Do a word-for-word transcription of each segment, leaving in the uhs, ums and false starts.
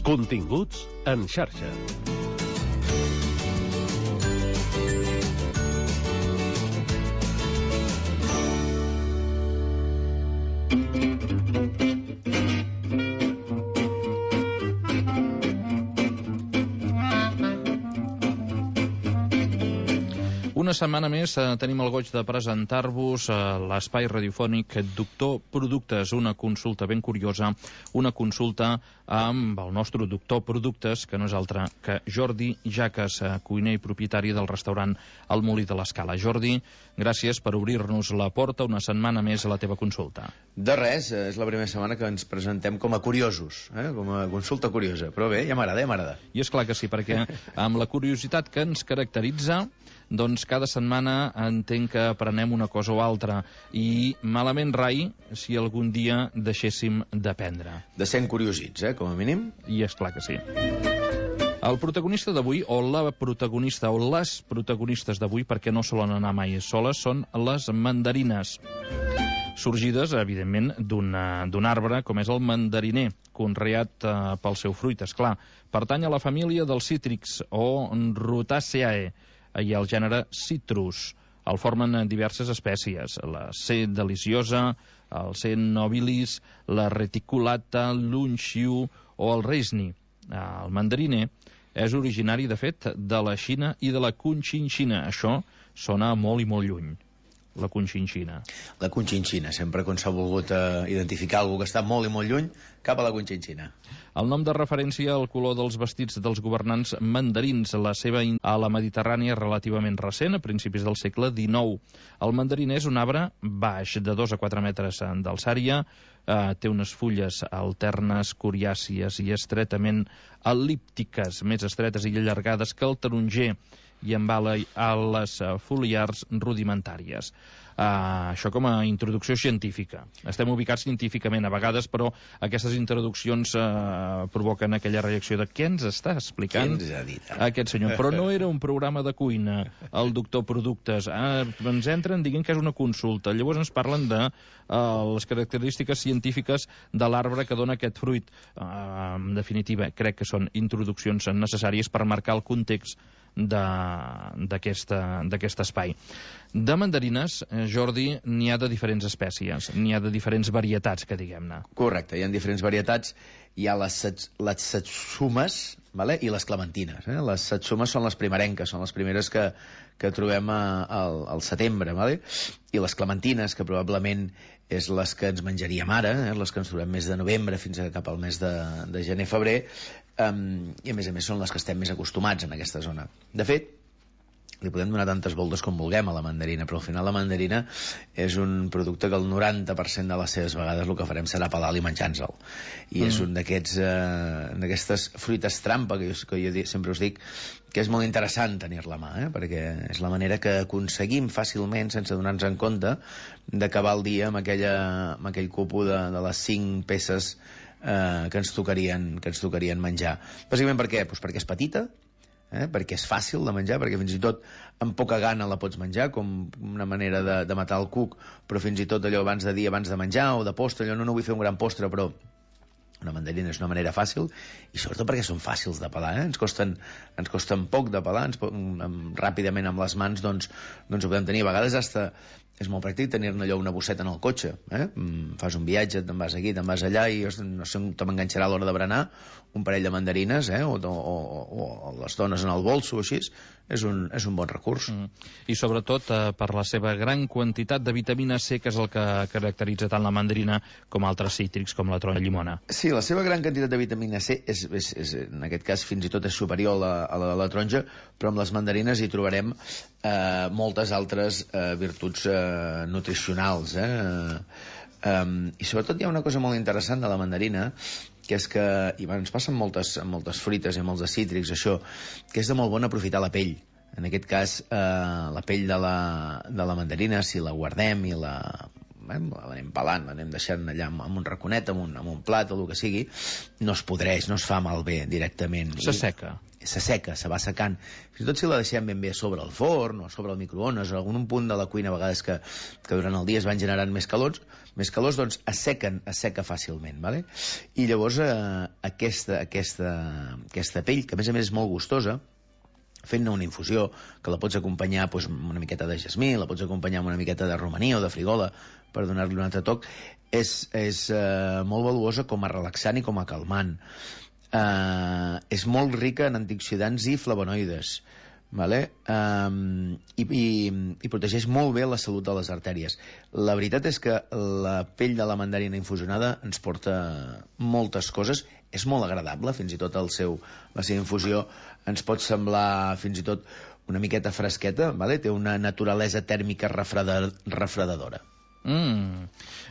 Continguts en xarxa. Una setmana més eh, tenim el goig de presentar-vos eh, l'espai radiofònic Doctor Productes, una consulta ben curiosa, una consulta amb el nostre Doctor Productes, que no és altre que Jordi Jaques, eh, cuiner i propietari del restaurant El Molí de l'Escala. Jordi, gràcies per obrir-nos la porta una setmana més a la teva consulta. De res, és la primera setmana que ens presentem com a curiosos, eh? com a consulta curiosa, però bé, ja m'agrada, ja m'agrada. I és clar que sí, perquè amb la curiositat que ens caracteritza, doncs cada setmana entenc que aprenem una cosa o altra, i malament rai si algun dia deixéssim d'aprendre. De sent curiosits, eh, com a mínim. I és clar que sí. El protagonista d'avui, o la protagonista, o les protagonistes d'avui, perquè no solen anar mai soles, són les mandarines. Sorgides, evidentment, d'un arbre com és el mandariner, conreat eh, pel seu fruit, esclar. Pertany a la família dels cítrics, o Rutaceae, i el gènere Citrus. El formen diverses espècies, la C. deliciosa, el C. nobilis, la reticulata, l'unxiu o el reisni. El mandariner és originari, de fet, de la Xina i de la Conchinchina. Això sona molt i molt lluny. La Conchinchina. La Conchinchina, sempre quan s'ha volgut eh, identificar algú que està molt i molt lluny, cap a la Conchinchina. El nom de referència al color dels vestits dels governants mandarins, la seva a la Mediterrània és relativament recent, a principis del segle dinou. El mandariner és un arbre baix, de dos a quatre metres d'alçària, eh, té unes fulles alternes, coriàcies i estretament el·líptiques, més estretes i allargades que el taronger, i amb ales foliars rudimentàries. Uh, això com a introducció científica. Estem ubicats científicament a vegades, però aquestes introduccions uh, provoquen aquella reacció de què ens està explicant aquest senyor. Però no era un programa de cuina, el Doctor Productes. Uh, ens entren dient que és una consulta. Llavors ens parlen de uh, les característiques científiques de l'arbre que dona aquest fruit. Uh, en definitiva, crec que són introduccions necessàries per marcar el context d'aquest espai. De mandarines, Jordi, n'hi ha de diferents espècies, n'hi ha de diferents varietats, que diguem-ne. Correcte, hi ha diferents varietats. Hi ha les, les satsumes, vale? I les clementines. Eh? Les satsumes són les primerenques, són les primeres que, que trobem a, a, al setembre, vale? I les clementines, que probablement és les que ens menjaríem ara, eh? Les que ens trobem més de novembre fins a cap al mes de, de gener-febrer, um, i a més a més són les que estem més acostumats en aquesta zona. De fet, li podem donar tantes voltes com vulguem a la mandarina, però al final la mandarina és un producte que el noranta per cent de les seves vegades el que farem serà pelar-li i menjar-nos-el. I mm. és un d'aquests eh, d'aquestes fruites trampa que jo, que jo sempre us dic que és molt interessant tenir-la a mà, eh? Perquè és la manera que aconseguim fàcilment, sense donar-nos en compte, d'acabar el dia amb, aquella, amb aquell cupo de, de les cinc peces eh, que, ens tocarien, que ens tocarien menjar. Bàsicament per què? Pues perquè és petita, Eh, perquè és fàcil de menjar, perquè fins i tot amb poca gana la pots menjar, com una manera de, de matar el cuc, però fins i tot allò abans de dir, abans de menjar o de postre, allò no, no vull fer un gran postre, però una mandarina és una manera fàcil, i sobretot perquè són fàcils de pelar, eh? ens, costen, ens costen poc de pelar, ens, amb, ràpidament amb les mans doncs, doncs ho podem tenir. A vegades hasta és molt pràctic tenir-ne allò una bosseta en el cotxe, eh? Fas un viatge, te'n vas aquí, te'n vas allà, i no sé on te m'enganxarà a l'hora de berenar un parell de mandarines, eh? o, o, o, o les dones en el bolso o així, és un, és un bon recurs. Mm. I sobretot eh, per la seva gran quantitat de vitamina C, que és el que caracteritza tant la mandarina com altres cítrics com la taronja i llimona. Sí, la seva gran quantitat de vitamina C és, és, és, en aquest cas fins i tot és superior a la, a la, a la taronja, però amb les mandarines hi trobarem eh, moltes altres eh, virtuts eh, nutricionals, eh? Um, i sobretot hi ha una cosa molt interessant de la mandarina, que és que, i bueno, ens passa amb moltes, amb moltes fruites i amb molts de cítrics, això, que és de molt bon aprofitar la pell. En aquest cas, eh, la pell de la, de la mandarina, si la guardem i la eh, l'anem pelant, l'anem deixant allà amb, amb un raconet, amb un, amb un plat o el que sigui, no es podreix, no es fa malbé directament. S'asseca. S'asseca, se va secant. Fins i tot si la deixem ben bé sobre el forn o sobre el microones o algun punt de la cuina, a vegades que, que durant el dia es van generant més calors, més calors, doncs assequen, asseca fàcilment, ¿vale? I llavors eh, aquesta, aquesta, aquesta pell, que a més a més és molt gustosa, fent-ne una infusió, que la pots acompanyar doncs, amb una miqueta de jasmí, la pots acompanyar amb una miqueta de romaní o de frigola, per donar-li un altre toc, és, és eh, molt valuosa com a relaxant i com a calmant. Uh, és molt rica en antioxidants i flavonoides, vale? um, i, i, i protegeix molt bé la salut de les artèries. La veritat és que la pell de la mandarina infusionada ens porta moltes coses, és molt agradable, fins i tot el seu, la seva infusió ens pot semblar fins i tot una miqueta fresqueta, vale? Té una naturalesa tèrmica refredar, refredadora. Mm.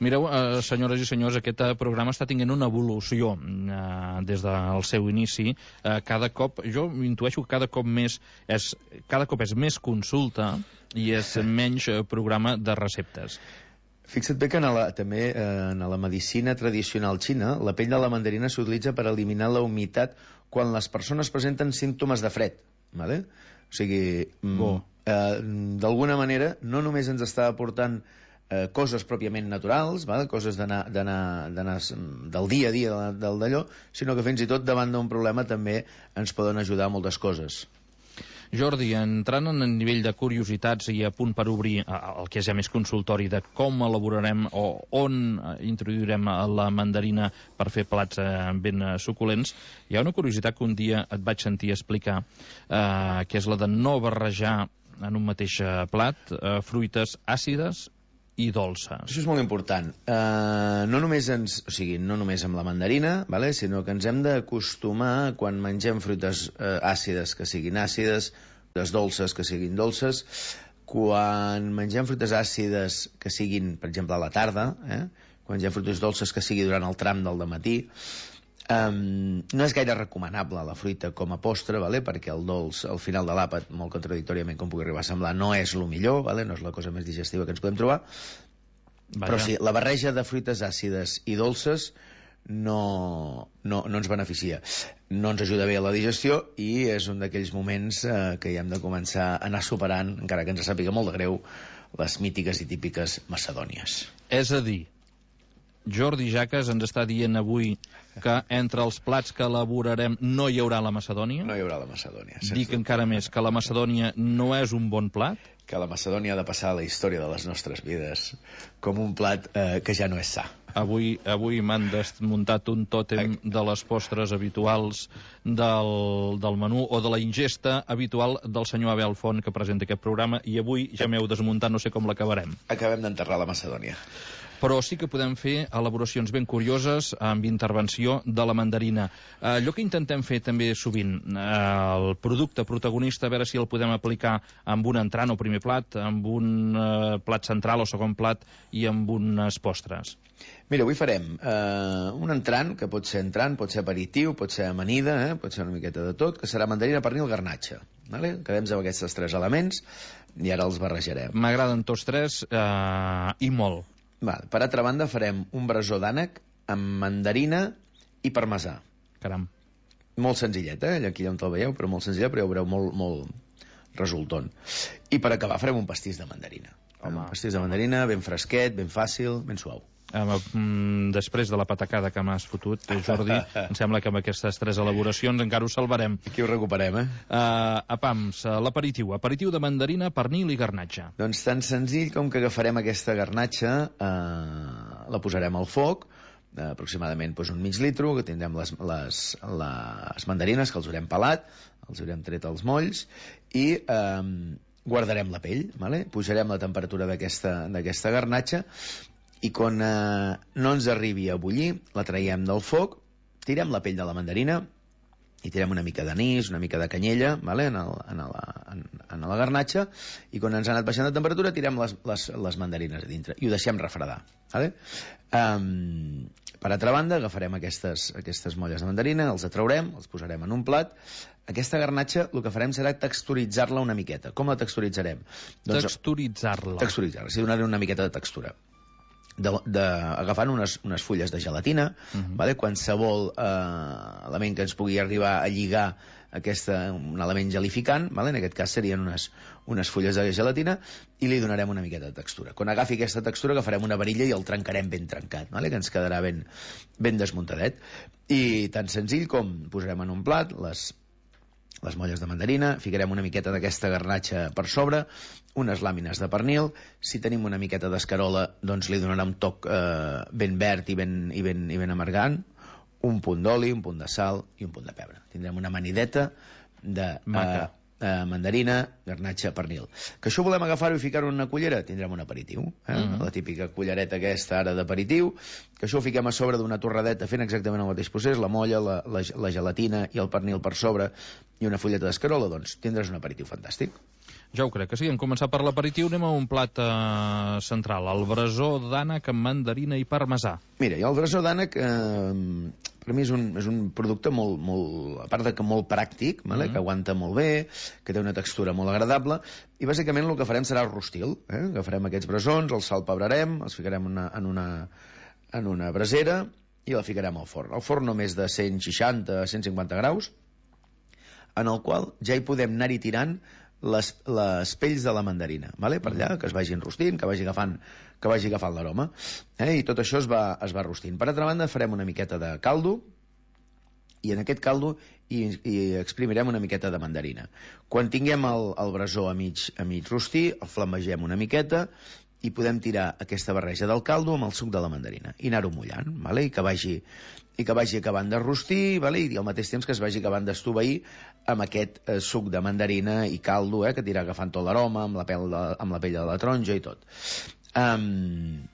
Mireu, eh, senyores i senyors, aquest eh, programa està tinguent una evolució eh, des del seu inici. Eh, cada cop, jo intueixo que cada cop més és, cada cop és més consulta i és menys eh, programa de receptes. Fixa't bé que en la, també eh, en la medicina tradicional xina, la pell de la mandarina s'utilitza per eliminar la humitat quan les persones presenten símptomes de fred, ¿vale? O sigui, oh. eh, d'alguna manera, no només ens està aportant Eh, coses pròpiament naturals, val? Coses d'anar del dia a dia del d'allò, sinó que fins i tot davant d'un problema també ens poden ajudar moltes coses. Jordi, entrant en el nivell de curiositats i a punt per obrir el que és ja més consultori de com elaborarem o on introduirem la mandarina per fer plats ben suculents, hi ha una curiositat que un dia et vaig sentir explicar, eh, que és la de no barrejar en un mateix plat eh, fruites àcides i dolces. Això és molt important. Uh, no només ens, o sigui, no només amb la mandarina, vale? Sinó que ens hem d'acostumar quan mengem fruites uh, àcides que siguin àcides, fruites dolces que siguin dolces, quan mengem fruites àcides que siguin, per exemple, a la tarda, eh? Quan mengem fruites dolces que sigui durant el tram del dematí. Um, no és gaire recomanable la fruita com a postre, vale? Perquè el dolç al final de l'àpat, molt contradictòriament com pugui arribar a semblar, no és el millor, vale? No és la cosa més digestiva que ens podem trobar. Vaja. Però sí, la barreja de fruites àcides i dolces no, no, no ens beneficia, no ens ajuda bé a la digestió i és un d'aquells moments eh, que ja hem de començar a anar superant, encara que ens sàpiga molt de greu, les mítiques i típiques macedònies. És a dir, Jordi Jaques ens està dient avui que entre els plats que elaborarem no hi haurà la macedònia. No hi haurà la macedònia. Dic encara més que la macedònia no és un bon plat. Que la macedònia ha de passar a la història de les nostres vides com un plat eh, que ja no és sa. Avui, avui m'han desmuntat un tòtem de les postres habituals del, del menú o de la ingesta habitual del senyor Abel Font, que presenta aquest programa, i avui ja m'heu desmuntat, no sé com l'acabarem. Acabem d'enterrar la macedònia. Però sí que podem fer elaboracions ben curioses amb intervenció de la mandarina. Eh, allò que intentem fer també sovint, eh, el producte protagonista, a veure si el podem aplicar amb un entrant o primer plat, amb un eh, plat central o segon plat i amb unes postres. Mira, avui farem eh, un entrant, que pot ser entrant, pot ser aperitiu, pot ser amanida, eh, pot ser una miqueta de tot, que serà mandarina, pernil, garnatxa. Vale? Quedem amb aquests tres elements i ara els barrejarem. M'agraden tots tres eh, i molt. Val. Per altra banda, farem un brasó d'ànec amb mandarina i parmesà. Caram. Molt senzillet, eh? Aquí on el veieu, però molt senzillet, però ja ho veureu molt, molt resultant. I per acabar farem un pastís de mandarina. Home. Un pastís de mandarina ben fresquet, ben fàcil, ben suau. Um, després de la patacada que m'has fotut, Jordi, em sembla que amb aquestes tres elaboracions encara ho salvarem. Aquí ho recuperem, eh? Uh, a pams, uh, l'aperitiu. Aperitiu de mandarina, pernil i garnatxa. Doncs tan senzill com que agafarem aquesta garnatxa, uh, la posarem al foc, uh, aproximadament doncs, un mig litro, que tindrem les, les, les mandarines, que els haurem pelat, els haurem tret els molls, i um, guardarem la pell, vale? Pujarem la temperatura d'aquesta d'aquesta garnatxa, i quan eh, no ens arribi a bullir, la traiem del foc, tirem la pell de la mandarina i tirem una mica d'anís, una mica de canyella, vale? en, el, en, la, en, en la garnatxa, i quan ens ha anat baixant de temperatura tirem les, les, les mandarines a dintre i ho deixem refredar. Vale? Um, per altra banda, agafarem aquestes, aquestes molles de mandarina, els atraurem, els posarem en un plat. Aquesta garnatxa el que farem serà texturitzar-la una miqueta. Com la texturitzarem? Doncs, texturitzar-la. Texturitzar-la, sí, donar-li una miqueta de textura. de, de, agafant unes, unes fulles de gelatina, uh-huh. vale? Qualsevol eh, element que ens pugui arribar a lligar aquesta, un element gelificant, vale? En aquest cas serien unes, unes fulles de gelatina, i li donarem una miqueta de textura. Quan agafi aquesta textura agafarem una varilla i el trencarem ben trencat, vale? Que ens quedarà ben, ben desmuntadet. I tan senzill com posarem en un plat les les molles de mandarina, ficarem una miqueta d'aquesta garnatxa per sobre, unes làmines de pernil, si tenim una miqueta d'escarola, doncs li donarà un toc eh, ben verd i ben, i, ben, i ben amargant, un punt d'oli, un punt de sal i un punt de pebre. Tindrem una amanideta de eh, eh, mandarina, garnatxa, pernil. Que això volem agafar-ho i ficar-ho en una cullera, tindrem un aperitiu, eh? Uh-huh. La típica cullereta aquesta ara d'aperitiu, que això ho fiquem a sobre d'una torradeta fent exactament el mateix procés, la molla, la, la, la gelatina i el pernil per sobre i una fulleta d'escarola, doncs tindràs un aperitiu fantàstic. Ja ho crec que sí. En començar per l'aperitiu anem a un plat eh, central, el brasó d'ànec amb mandarina i parmesà. Mira, i el brasó d'ànec eh, per mi és un, és un producte molt, molt, a part de que molt pràctic, vale? Mm. Que aguanta molt bé, que té una textura molt agradable, i bàsicament el que farem serà el rostil. Eh? Agafarem aquests brasons, els salpebrarem, els ficarem una, en, una, en una brasera i la ficarem al forn. El forn només de cent seixanta a cent cinquanta graus, en el qual ja hi podem anar-hi tirant les, les pells de la mandarina, vale? Per allà, que es vagin rostint, que vagi agafant, que vagi agafant l'aroma, eh? I tot això es va, es va rostint. Per altra banda, farem una miqueta de caldo, i en aquest caldo hi, hi exprimirem una miqueta de mandarina. Quan tinguem el, el brasó a mig, a mig rostir, el flambegem una miqueta, i podem tirar aquesta barreja del caldo amb el suc de la mandarina i anar-ho mullant, vale? I que vagi i que vagi acabant de rostir, vale? I al mateix temps que es vagi acabant d'estoveir amb aquest eh, suc de mandarina i caldo, eh? Que tira agafant tot l'aroma amb la pell de, amb la pell de la taronja i tot. Um,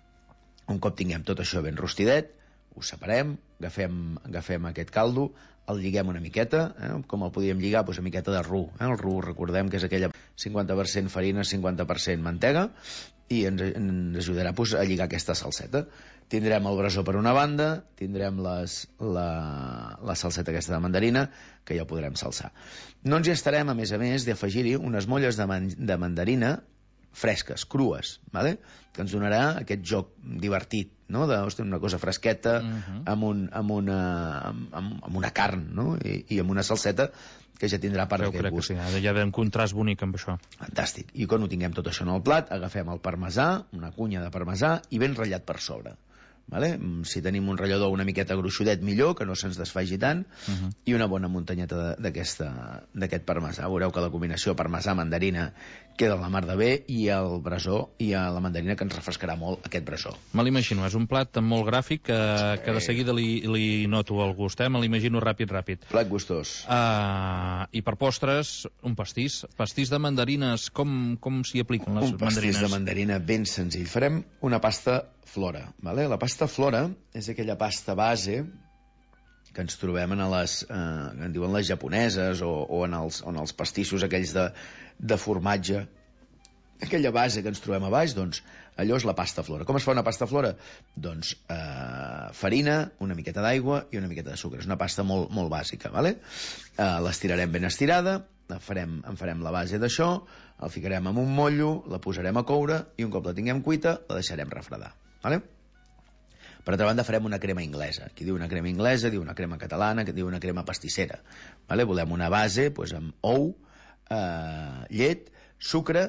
un cop tinguem tot això ben rostidet, ho separem, agafem, agafem aquest caldo, el lliguem una miqueta, eh? Com el podíem lligar, doncs una miqueta de ru. Eh? El ru, recordem que és aquella cinquanta per cent farina, cinquanta per cent mantega, i ens, ens ajudarà doncs, a lligar aquesta salseta. Tindrem el brasó per una banda, tindrem les, la, la salseta aquesta de mandarina, que ja podrem salsar. No ens hi estarem, a més a més, d'afegir-hi unes molles de, man, de mandarina fresques, crues, vale? Que ens donarà aquest joc divertit, no? De, hosti, una cosa fresqueta, uh-huh. amb, un, amb, una, amb, amb una carn, no? I, i amb una salseta que ja tindrà part d'aquest gust. Sí, ja ve un contrast bonic amb això. Fantàstic. I quan ho tinguem tot això en el plat, agafem el parmesà, una cunya de parmesà, i ben ratllat per sobre. Vale? Si tenim un ratllador una miqueta gruixudet, millor, que no se'ns desfaigi tant, uh-huh. i una bona muntanyeta d'aquest parmesà. Veureu que la combinació parmesà-mandarina queda a la mar de bé, i el brasó i la mandarina, que ens refrescarà molt aquest brasó. Me l'imagino, és un plat molt gràfic que, sí. que de seguida li, li noto el gust, eh? Me l'imagino ràpid, ràpid. Plat gustós. Uh, I per postres, un pastís. Pastís de mandarines, com, com s'hi apliquen les un mandarines? Un pastís de mandarina ben senzill. Farem una pasta flora, vale? La pasta flora és aquella pasta base que ens trobem en les, eh, en diuen les japoneses, o, o en, els, en els pastissos aquells de, de formatge. Aquella base que ens trobem a baix, doncs allò és la pasta flora. Com es fa una pasta flora? Doncs eh, farina, una miqueta d'aigua i una miqueta de sucre. És una pasta molt, molt bàsica, vale? Eh, l'estirarem ben estirada, farem, en farem la base d'això, el ficarem en un motllo, la posarem a coure, i un cop la tinguem cuita, la deixarem refredar, vale? Per altra banda, farem una crema inglesa. Qui diu una crema inglesa, diu una crema catalana, que diu una crema pastissera. Vale? Volem una base doncs, amb ou, eh, llet, sucre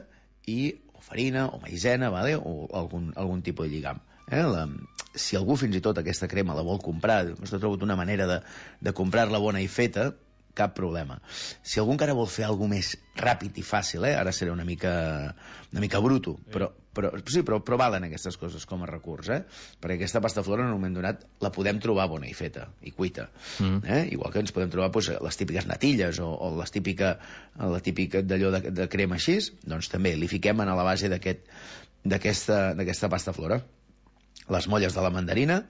i o farina o maïzena, vale? O algun, algun tipus de lligam. Eh? La, si algú fins i tot aquesta crema la vol comprar, doncs ha trobat una manera de, de comprar-la bona i feta, cap problema. Si algú encara vol fer alguna més ràpid i fàcil, eh? Ara serà una mica, una mica bruto, però, però, sí, però, però valen aquestes coses com a recurs, eh? Perquè aquesta pasta flora en un moment donat la podem trobar bona i feta, i cuita. Mm. Eh? Igual que ens podem trobar doncs, les típiques natilles o, o les típica, la típica d'allò de, de crema així, doncs també li fiquem a la base d'aquesta d'aquesta pasta flora. Les molles de la mandarina,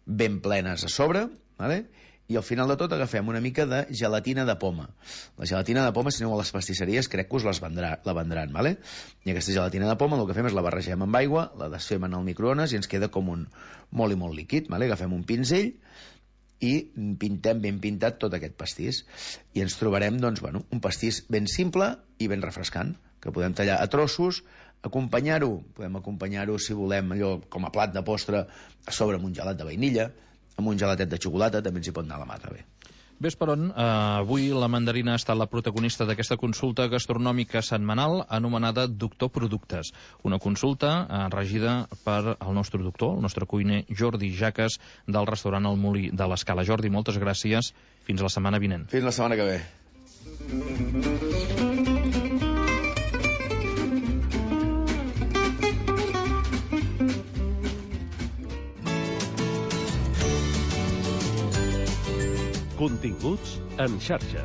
ben plenes a sobre, vale? I al final de tot agafem una mica de gelatina de poma. La gelatina de poma, si aneu a les pastisseries, crec que us les vendrà, la vendran, vale? I aquesta gelatina de poma el que fem és la barregem amb aigua, la desfem en el microones i ens queda com un molt i molt líquid, vale? Agafem un pinzell i pintem ben pintat tot aquest pastís. I ens trobarem, doncs, bueno, un pastís ben simple i ben refrescant, que podem tallar a trossos, Acompanyar-ho, podem acompanyar-ho, si volem, allò com a plat de postre, a sobre amb un gelat de vainilla, amb un gelatet de xocolata, també ens hi pot anar la mà, bé. Ves per on, eh, avui la mandarina ha estat la protagonista d'aquesta consulta gastronòmica setmanal anomenada Doctor Productes. Una consulta eh, regida per el nostre doctor, el nostre cuiner Jordi Jaques, del restaurant El Molí de l'Escala. Jordi, moltes gràcies. Fins la setmana vinent. Fins la setmana que ve. Continguts en xarxa.